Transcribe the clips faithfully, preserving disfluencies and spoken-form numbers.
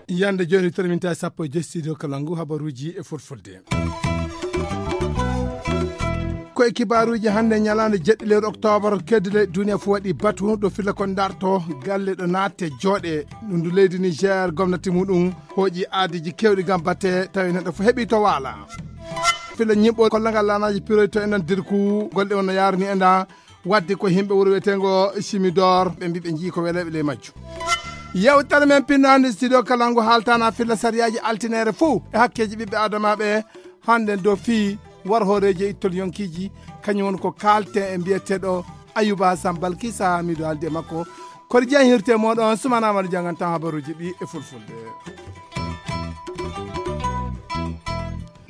Yande jooni terminta sappo e joyi studio Kalangu, habaruuji e fulfulde. Ko e kibaaruuji hannde, ñalaande jeɗɗi lewru oktoobar, keddi leydi duniya fof waɗi batu ɗo filla kon darto galle ɗo naatte jooɗe. Ɗum ndu leydi Niger gomnati muɗum hooƴi aadiiji keewɗi ngam batte tawi neɗɗo fof heɓi to waala. Filla ñiɓɓo kollagal laanaaji piroy to enen dirku golle on no yaarni enda wadde ko himɓe wuro wiyeteengo Simidor, ɓe mbi ɓe njii ko weleɓe ley majju. Yewtere men pinnaande studio Kalangu haaltana filla sariyaaji altinere fof e hakkeeji ɓiɓɓe adamaaɓe. Hannde do fii war hooreeji e ittol yonkiiji, kañum woni ko kaalte e mbiyeteeɗo Ayuba Sambal Kisa, miɗo haaldi e makko. Kori Jean hirte moɗon, Sumana Amadou janngantaa habaruuji ɗi e fulfulde.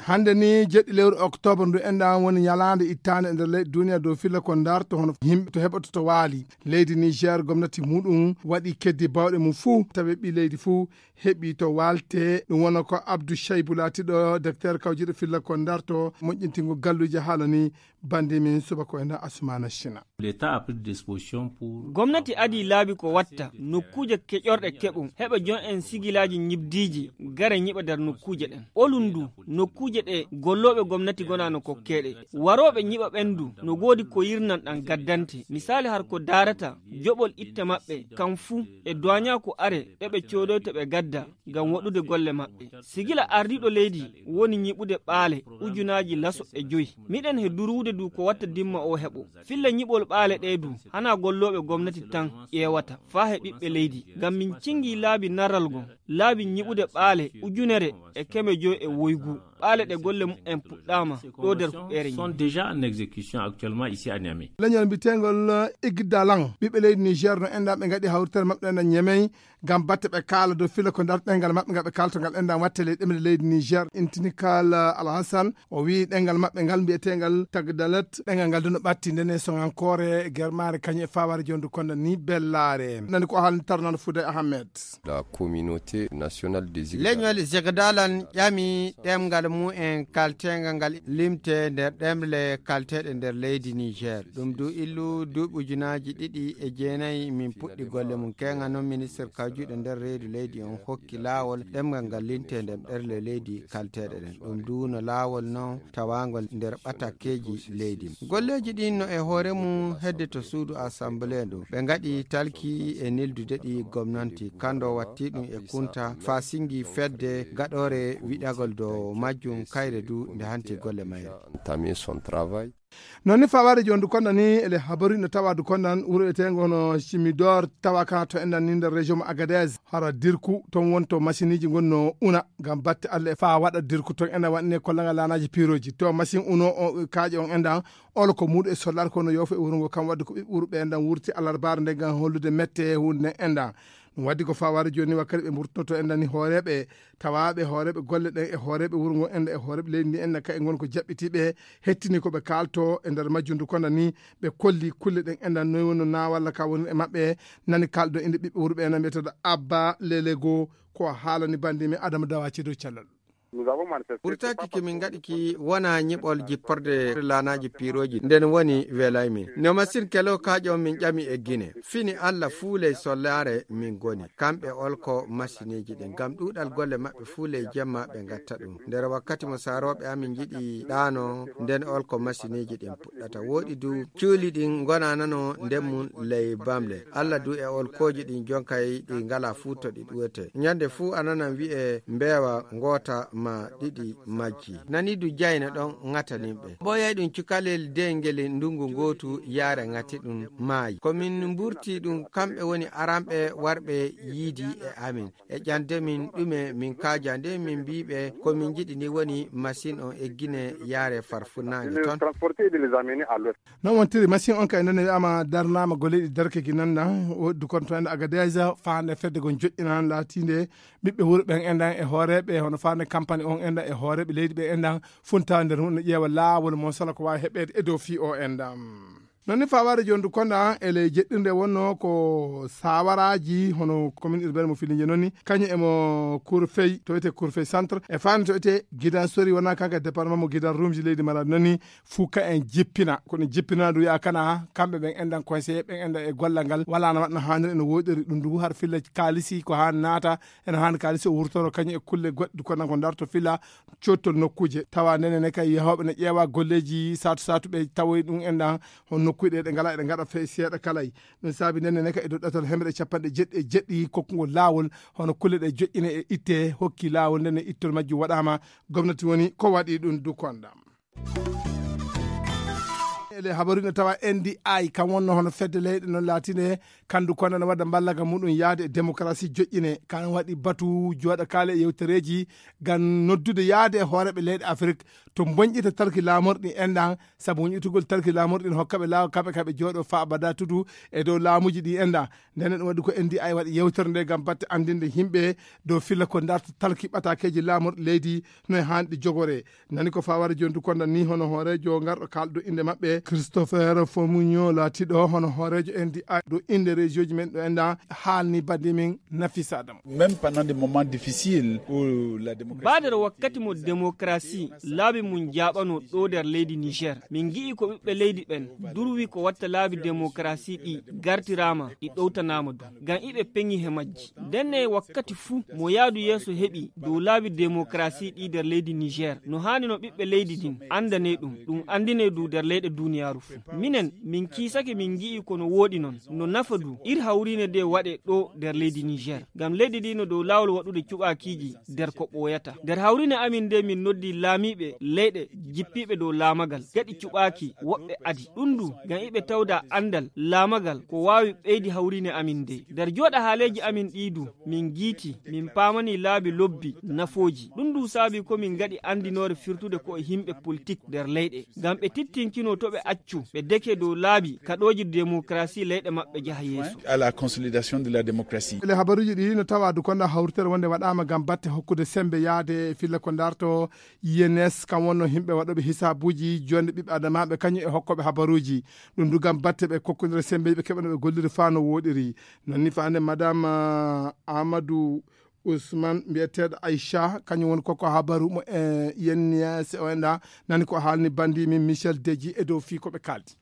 Hannde ni, jeɗɗi lewru oktoobar ndu enɗan woni ñalaande ittaande e nder leydi duniya dow filla ko ndarto hono yimɓe to heɓoto to waali. Leydi Niger, gomnati muɗum waɗi keddi bawɗe mum fuu, tawi ɓi leydi fuu heɓi to waalte. Ɗum wona ko Abdou Shaibou laatiɗo docteur kawjiɗo filla ko ndarto moƴƴintingo galluuje haalani bandi min subaka o ena Asumana Shina. L'État a pris des dispositions pour Gomnati adii laabi ko watta nokkuuje keƴorɗe keɓum, heɓa jon en sigilaaji ñibdiiji, gara ñiɓa nder nokkuuje ɗen. Olun ndu, nokkuuje ɗe gollooɓe gomnati gonaa no kokkeeɗe. Warooɓe ñiɓa ɓen ndu, no goodi ko yirnan ɗan gaddante. Misaali har ko daarata joɓol itte maɓɓe, kan fuu, e duwaañaa ko are, ɗe ɓe coodoyta ɓe gadda ngam waɗude golle maɓɓe. Sigila ardiiɗo leydi woni ñiɓude ɓaale ujunaaji laso e joyi. Miɗen he duruwude du ko watta dimma o heɓo. Filla ñiɓol ɓaale ɗee du, hanaa gollooɓe gomnati tan ƴeewata, faa he ɓiɓɓe leydi. Ngam min cingii laabi naral ngon, laabi ñiɓude ɓaale ujunere e keme joyi e woygu. Ɓaale ɗe golle mumen puɗɗaama ɗo nder huɓeere sont Niamey. Déjà en exécution actuellement ici à Niamey. Leñol mbiyeteengol Igdalan, ɓiɓɓe leydi Niger no enɗan ɓe ngaɗi hawritere maɓɓe ɗen e Niamey ngam batte ɓe kaala dow filla ko nder ɗemngal maɓɓe ngal ɓe kaalata ngal enɗan watte ley ɗemle leydi Niger. Intinikal Alhassan, o wi'i ɗemngal maɓɓe ngal mbiyeteengal Tagdalet, ɗemngal ngal du no ɓatti nden e soŋankoore, germaare kañum e fawaare jondu konda ni bellaare. Nani ko haalni tarnano Fouday Ahmed. La communauté nationale des Leñol Zegdalan ƴami ɗemngal mumen kalteengal ngal limte nder ɗemle kalteeɗe nder leydi Niger. Ɗum du illu duuɓi ujunaaji ɗiɗi e jeenayi min puɗɗi golle mum. Keŋa non ministre kawjuɗo nder reedu leydi on hokki laawol ɗemngal ngal limte nder ɗemle leydi kalteeɗe ɗen. Ɗum du no laawol non tawaangol nder ɓatakkeeji leydi. Golleeji ɗin no e hoore mum hedde to suudu assemblée ndu. Ɓe ngaɗi talki e nildude ɗi gomnanti. Kando watti ɗum e kunta faa singi fedde gaɗoore wiɗagol dow majjum kayre du nde hanti golle mayre. Entamé son travail. Non ni fawaade jooni du kondan ni ele habaru no tawa du kondan wuro eteengo hono Simidor tawa kana to enɗan ni nder région mo Agadez. Hara dirku ton wonto machine iji ngon no una ngam batte Allah e faa waɗa dirku ton enɗan waɗine kollanga laanaaji piroji. To machine uno o kaaƴe on enɗan olo ko muuɗum e sollaare ko no yoofo e wuro ngo kam wadde ko ɓiɓɓe wuro ɓe enɗan wurti alarbaare nde ngam hollude mette e huunde nden enɗan. Ɗum waddi ko fawaade jooni wakkati ɓe mburtoto enɗan ni hooreeɓe tawaaɓe hooreeɓe golle ɗen e hooreeɓe wuro ngo enɗan e hooreeɓe leydi ndi enɗan ka e ngon ko jaɓɓitiiɓe hettini ko ɓe kaalto e nder majjum du kondan ni ɓe kolli kulle ɗen enɗan noy wonno na walla ka woni e maɓɓe nani kaalɗo innde ɓiɓɓe wuro ɓe enɗan mbiyeteeɗo Abba Lelego ko haalani bandi men Adama Dawaci dow cellal. Ɓurtaki ki min ngaɗi ki wona ñiɓol jipporde laanaaji piirooji. Nden woni welay min. No masin kelo kaaƴo min ƴami e Gine. Fini Alla fuu ley sollaare min goni. Kamɓe olko masineeji ɗin. Ngam ɗuuɗal golle maɓɓe fuu ley jemma ɓe ngatta ɗum. Nder wakkati mo saarooɓe amin njiɗi ɗaano, nden olko masineeji ɗin puɗɗata. Wooɗi du cuuli ɗin ngonanano nden mum ley bamle. Alla du e olkooji ɗin jonkay ɗi ngalaa fuu to ɗi ɗuwete. Ñande fuu a nanan wi'e mbeewa ngoota ma ɗiɗi majji. Nani du jayna ɗon ŋatanin ɓe. Ɓooyay ɗum cukalel de ngel ndungu ngootu yaare ŋati ɗum maayi. Ko min mburti ɗum kamɓe woni aranɓe warɓe yiidi e amin. E ƴande min ɗume min kaaja nde min mbii ɓe ko min njiɗi ni woni masin on eggine yaare farfunnaange ton. Non wontiri masin on kay nane wi'ama darnaama golle ɗi darke gi nanna woddu kon to en Agadez faande fedde gon joƴƴinaan laatiinde ɓiɓɓe wuro ɓen enɗan e hooreeɓe hono faande campagne on enɗan e hooreeɓe leydi ɓe enɗan funta nder hunde ƴeewa laawol mo sala ko waawi heɓeede e dow fii o enɗan. Non ni fawaade jooni du konda ele jeɗɗirde wonno ko sawaraaji hono commune urbaine mo Filinge non ni, kañum emo Kurfey, to wiyetee Kurfey centre, e faande to wiyetee Gidan Sori, wona kanko e département mo Gidan Rumji leydi Maladi non ni, fuu ka en jippina. Ko ɗum jippina du wiya kana kamɓe ɓen enɗan conseiller, ɓen enɗan e gollal ngal, wala no waɗno haaniri, no woɗɗori ɗum du har filla kaalisi ko haa naata, eno haani kaalisi o wurtoro kañum e kulle goɗɗe du konda ko darto filla cottol nokkuuje. Tawa ndenen ne kay yahooɓe ne ƴeewa golleeji saatu saatu ɓe tawoy ɗum enɗan hon nokkuuje ɗe, ɗe ngala, ɗe ngaɗa fe seeɗa kalay. Ɗum saabi ndenen ne kay e dow ɗatal hemre capanɗe jeɗɗi e jeɗɗi kokkugol laawol hono kulle ɗe joƴƴine e itte hokki laawol nden e ittol majjum waɗaama. Gomnati woni ko waɗi ɗum du konda. Ele habaru ne tawa N D I kam wonno hono fedde leyɗe non laatinde kandu konda ne wadda mballaga muɗum yaade e démocratie joƴƴine. Kan waɗi batu jooɗa kaale e yewtereeji ngam noddude yaade e hooreɓe leyɗe Afrik to bonƴita talki laamorɗi enɗan, sabu bonƴitugol talki laamorɗi ne hokkaɓe laawo kamɓe kaɓe jooɗo fa abada tudu e dow laamuji ɗi enɗan. Ndenen ɗum waɗi ko N D I waɗi yewtere nde ngam batte anndinde yimɓe dow filla ko darta talki ɓatakeeji laamorɗi leydi no e haanɗi jogore. Nani ko fawaade jooni du konda ni hono hooreejo ngarɗo kaalɗo innde maɓɓe, Christopher Fomunyo, laatiiɗo hono hooreejo N D I dow innde région ji men ɗo enɗan, haalni bandi min Nafisa Adam. Même pendant des moments difficiles où la démocratie Baadere wakkati mo démocratie laabi mum jaaɓanoo ɗo nder leydi Niger, min ngi'i ko ɓiɓɓe leydi ɓen durwi ko watta laabi démocratie ɗi gartiraama, ɗi ɗowtanaama du. Ngam iɓe peŋi he majji. Ndenne wakkati fuu mo yaadu yeeso heɓi dow laabi démocratie ɗi nder leydi Niger, no haani no ɓiɓɓe leydi ndin anndane ɗum, ɗum anndine du nder leyɗe duniyaaru fuu. Minen, min kiisake min ngi'i ko no wooɗi non, no nafa du, ir hawriine nde waɗe ɗo nder leydi Niger. Ngam leydi ndi no dow laawol waɗude cuɓaakiiji nder ko ɓooyata. Nder hawriine amin nde min noddi laamiiɓe leyɗe jippiiɓe dow laamagal, gaɗi cuɓaaki woɓɓe adi. Ɗum du, ngam iɓe tawda anndal laamagal ko waawi ɓeydi hawriine amin nde. Nder jooɗa haaleeji amin ɗi du, min ngiiti, min paamani laabi lobbi nafooji. Ɗum du saabi ko min ngaɗi anndinoore firtude ko e yimɓe politik nder leyɗe. Ngam ɓe tittinkino to ɓe accu, ɓe deke dow laabi kaɗooji démocratie leyɗe maɓɓe jaha yeeso. À la consolidation de la démocratie. Ele habaruuji ɗi no tawa du konda hawritere wonde waɗaama ngam batte hokkude sembe yaade e filla ko darto I N S, kam wonno yimɓe waɗooɓe hisaabuuji jonde ɓiɓɓe adamaaɓe kañum e hokkooɓe habaruuji. Ɗum du ngam batte ɓe kokkondira sembe ɓe keɓano ɓe golliri faa no wooɗiri. Non ni faande Madame, ah, Amadou Ousmane mbiyeteeɗo Aïcha, kañum woni kokko habaru mo e yenniya se o enɗa nani ko haalni bandi min Michel Deji e dow fii ko ɓe kaaldi.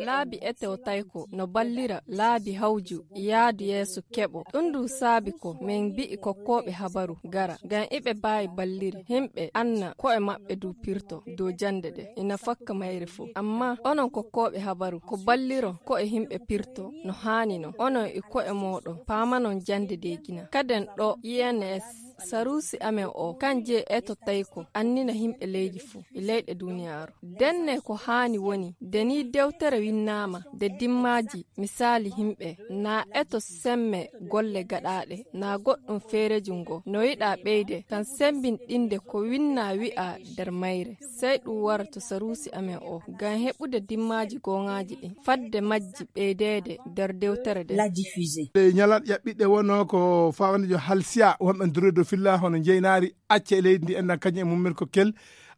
Laabi eto tayko no ballira laabi hawju yaadu yeeso keɓo. Ɗum du saabi ko min mbi'i kokkooɓe habaru gara, ngam iɓe baawi balliri. Yimɓe anna ko'e maɓɓe du pirto dow jannde ɗe ina fakka mayre fof. Amma onon kokkooɓe habaru ko balliro ko'e yimɓe pirto no haani non. Onon e ko'e mooɗon paamanon jannde de gina. Kaden ɗo I N S, saruusi amen o, kan je eto tayko annina yimɓe leydi fof e leyɗe duniyaaru. Denne ko haani woni, de ni dewtere winnaama, de dimmaaji misaali yimɓe na eto semme golle gaɗaaɗe, na goɗɗum feereeji ngo no yiɗa ɓeyde, kan sembinɗinde ko winna wi'a nder mayre. Sey ɗum wara to saruusi amen o, ngam heɓude dimmaaji gooŋaaji ɗin, fadde majji ɓeydeede nder dewtere nde. La diffuser. Ɗe ñalat ƴaɓɓiɗɗe wonno ko fawandejo halsiya, wonɓe duroyde filla hono njeynaari acca e leydi ndi enɗan kañum e mummen ko kel.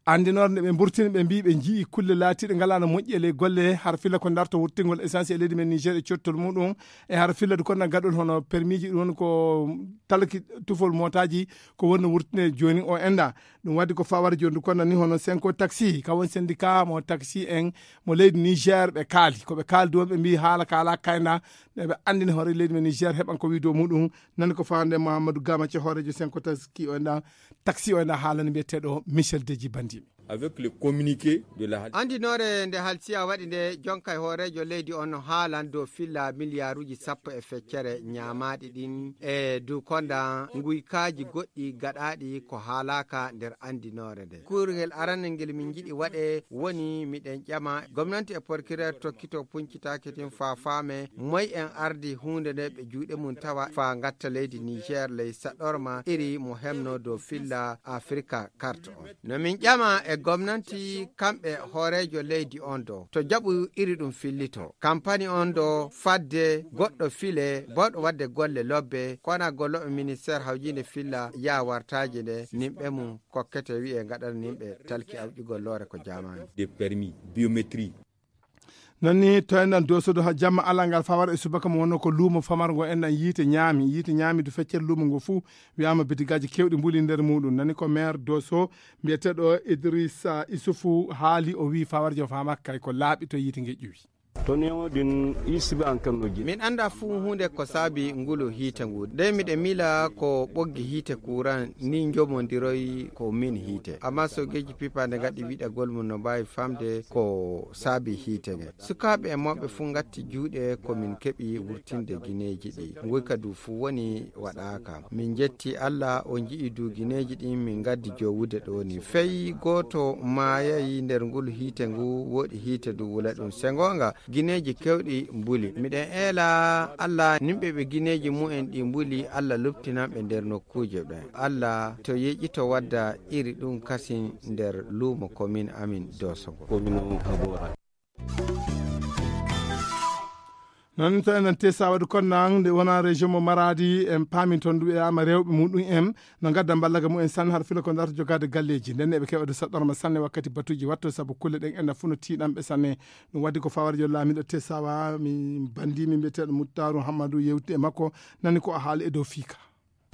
Anndinoore nde ɓe mburtini, ɓe mbii ɓe njii kulle laatiiɗe ngalaa no moƴƴi e ley golle, har filla ko darto wurtingol essence e leydi men Niger e cottol muɗum, e har filla du konda gaɗol hono permis ji ɗum woni ko talki tufol mootaaji ko wonno wurtine jooni o enɗa. Ɗum waddi ko fawara jooni du konda ni hono Senko Taxi, ka won syndicat mo taxi en mo leydi Niger ɓe kaali. Ko ɓe kaali du wonɓe mbii haala ka alaa kayna, ne ɓe anndini hoore leydi men Niger heɓan ko wii dow muɗum. Nani ko fawande Mahamadou Gamace hoorejo Senko Taxi o enɗa, taxi o enɗa haalani mbiyeteeɗo Michel Deji Bandimi. Avec le communiqué de la Andinoore nde halsiya waɗi nde, jonkay hooreejo leydi on haalan dow filla miliyaaruuji sappo e feccere ñaamaaɗi ɗin e du konda nguykaaji goɗɗi gaɗaaɗi ko haalaaka nder andinoore nde. Kuurngel aranel ngel min njiɗi waɗe woni miɗen ƴama gomnanti e porkireer tokkito puncitaake tin faa faame moy en ardi huunde nde ɓe juuɗe mum tawa faa ngatta leydi Niger ley saɗorma iri mo hemno dow filla Afrika kart on. No min ƴama e gomnanti kamɓe hooreejo leydi on do to jaɓu iri ɗum fillito. Kampani on do fadde goɗɗo file bawɗo wadde golle lobbe, kona golloɓe ministère hawjinde filla yaa wartaaji nde nimɓe mum kokkete wi'e ngaɗana nimɓe talki awƴugol loore ko jaamaani. Des permis biométrie. Nani to enɗan dosodo ha jamma alangal fawar e subaka mo wonno ko luumo famargo enɗan yiite ñaami yiite ñaami du feccere luumo ngo fuu. Wiyama bidigaaji kewɗi mbuli nder muɗum nani ko maire doso mbiyeteɗo idrissa isufu haali o wi fawarjo famakkay ko laaɓi to yiite nge ƴuwi. To newo ɗin isibe an kanno ji. Min annda fuu huunde ko saabi ngulu hiite ngu. Ndey miɗe miila ko ɓoggi hiite kuran ni njomondiroyi ko min hiite. Amma sogeeji pipaande ngaɗi wiɗagol mum no mbaawi famde ko saabi hiite nge. Sukaaɓe e mawɓe fuu ngatti juuɗe ko min keɓi wurtinde gineeji ɗi. Nguyka du fuu woni waɗaaka. Min njetti Alla o nji'i du gineeji ɗin min ngaddi jowude ɗo ni. Fey gooto maayayi nder ngulu hiite ngu wooɗi hiite du wula ɗum. Se ngoonga, gineeji kewɗi mbuli. Miɗen eela Alla nimɓe ɓe gineeji mu'en ɗi mbuli, Alla luptinan ɓe nder nokkuuje ɓen. Alla to yeƴito wadda iri ɗum kasin nder luumo komin amin dosogo. Noon to enen tesa waɗi konnaang nde wona région mo maradi en paami toon ɗum e ama rewɓe muɗum en no ngadda mballaga mumen sanne haɗa fila ko darta jogaade galleeji nden eɓe keɓa de saɗɗorma sanne wakkati batuuji watto sabu kulle ɗen ena fof no tiiɗanɓe sanne. Ɗum waɗi ko fawarjo laamiɗo tesawa mi bandimi mbiyeteeɗo muttaru hammadu yewti e makko nani ko o haali e dow fiika.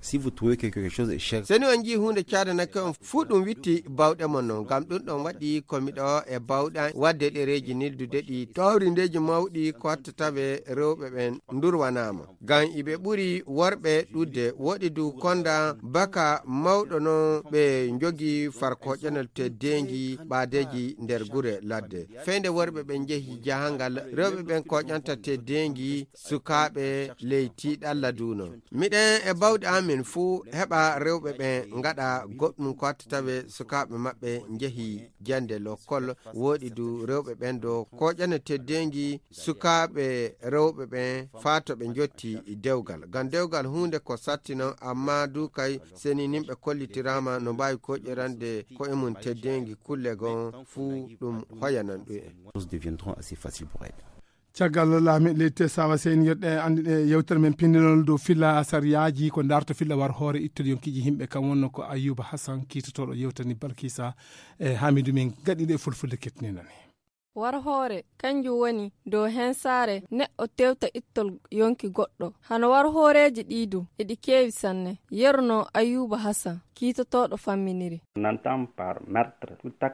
Si vous trouvez que quelque chose est cher, seni on njii huunde caadanake on fuu ɗum witti bawɗe mon non ngam ɗum ɗon waɗi ko miɗo e bawɗe an waɗde ɗereeji nildude ɗi tawrindeeji mawɗi ko watta tawe rewɓe ɓen ndurwanaama ngam iɓe ɓuri worɓe ɗudde woɗi du konda baka mawɗo non ɓe njogi farkoƴanol teddeengi ɓaadeeji nder gure ladde fey nde worɓe ɓen njehi jahangal rewɓe ɓen koƴanta teddeengi sukaaɓe ley tiiɗalla duuno. Miɗen e bawɗe amin fuu heɓa rewɓe ɓen ngaɗa goɗɗum ko watta tawe sukaaɓe maɓɓe njehi jannde lokkol. Wooɗi du rewɓe ɓen do koƴana teddeengi sukaaɓe rewɓe ɓen faa to ɓe njotti dewgal. Ngam dewgal huunde ko satti non, ammaa du kay seniinimɓe kollitiraama no mbaawi koƴirande ko'e mum teddeengi kulle gon fuu ɗum hoyanan ɗum en. Choses deviendront assez faciles pour elle. Caggal laami leydi te sawa seyni yeɗɗe anndi ɗe yewtere men pindinol dow filla sariyaaji ko darto filla war hoore ittol yonkiji yimɓe kam wonno ko ayuba hassan kiitotoɗo yewtani balkisa e hamidu min gaɗiɗe fulfulde kettinani. War hoore kanjum woni dow hensaare neɗɗo tewta ittol yonki goɗɗo. Hano war hooreeji ɗii du eɗi keewi sanne. Yerno ayuba hassan kiitotoɗo famminiri.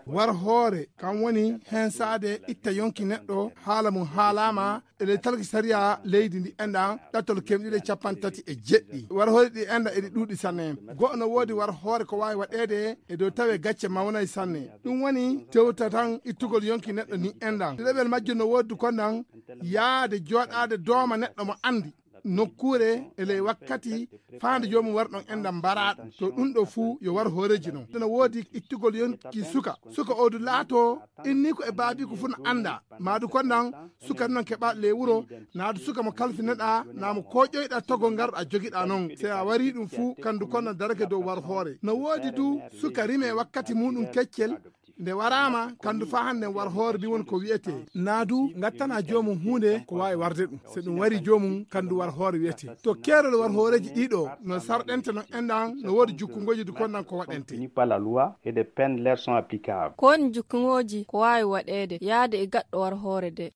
War hoore kam woni hensaade itta yonki neɗɗo haala mum haalaama e ley talki sariya leydi ndi enɗan ɗattol kemɗiɗe capanɗe tati e jeɗɗi war hoore ɗi enɗan eɗi ɗuuɗi sanne. Go'o no woodi war hoore ko waawi waɗeede e dow tawe gacce mawnay sanne. Ɗum woni tewta tan ittugol yonki neɗɗo ni enɗan ɗiɗaɓel majjum no woodi konɗan yaade jooɗaade dooma neɗɗo mo anndi nokkuure e ley wakkati faande joomum wara ɗon enɗan mbaraaɗo to ɗum ɗo fuu yo war hooreeji non ene woodi ittugol yonki suka suka o du laato inni ko e baabiiko fuu no annda maadu konɗan suka non keɓaaɗo ley wuro naadu suka mo kalfineɗaa naa mo kooƴoyɗaa togol ngarɗaa jogiɗaa non se a warii ɗum fuu kandu konɗan darake dow war hoore no woodi du suka rime wakkati muɗum keccel nde waraama kandu faa hannden war hoore ndi woni ko wiyetee. Naa du ngattanaa joomum huunde ko waawi warde ɗum. So ɗum warii joomum kandu war hoore wiyetee. To keerol war hooreeji ɗii ɗoo no sarɗente non enɗan no woodi jukkungooji du konɗan ko waɗentee. Par la loi et des peines leur sont applicables. Ko woni jukkungooji ko waawi waɗeede yaade e gaɗɗo war hoore de.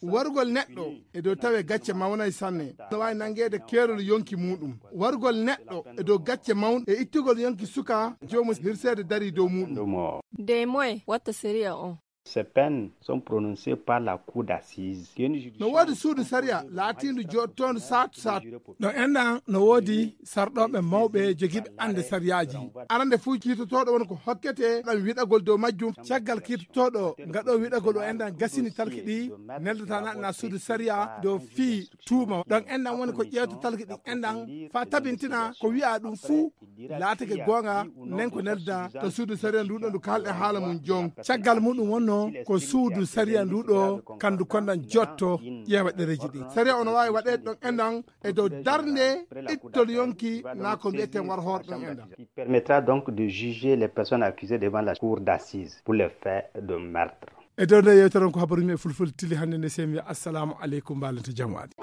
Warugol neɗɗo e dow tawe gacce mawnay sanne no waawi nanngeede keerol yonki muuɗum. Warugol neɗɗo e dow gacce mawnɗe e ittugol yonki suka joomum hirseede darii dow muuɗum. Dey moye watta sariya on. Ces peines sont prononcées par la cour d'assises. No woodi suudu sariya laatiindu jooɗtoondu saatu saatu. Ɗo enɗan no woodi sarɗooɓe mawɓe jogiiɓe annde sariyaaji. Arande fuu kiitotooɗo woni ko hokkete ɗan wiɗagol dow majjum. Caggal kiitotooɗo ngaɗo wiɗagol o enɗan gasini talki ɗi neldata naɗana suudu sariya dow fii tuuma ɗon enɗan woni ko ƴeewta talki ɗi enɗan faa tabintina ko wi'a ɗum fuu laatake goonga nden ko nelda to suudu sariya ndu ɗo ndu kaalɗe haala mum jon. Caggal muɗum wonno ko suudu sariya ndu ɗo kandu konɗan jotto ƴeewa ɗereeji ɗin sariya ono waawi waɗeede ɗon enɗan e dow darnde ittol yonki naa ko mbi'eten war hoore ɗon enɗan. Permettra donc de juger les personnes accusées devant la cour d'assises pour les faits de meurtre. E dow nde yewtere on ko habaruji men fulfulde tili hannde nde semi wiya assalamu aleykum mbalente jamaɗi.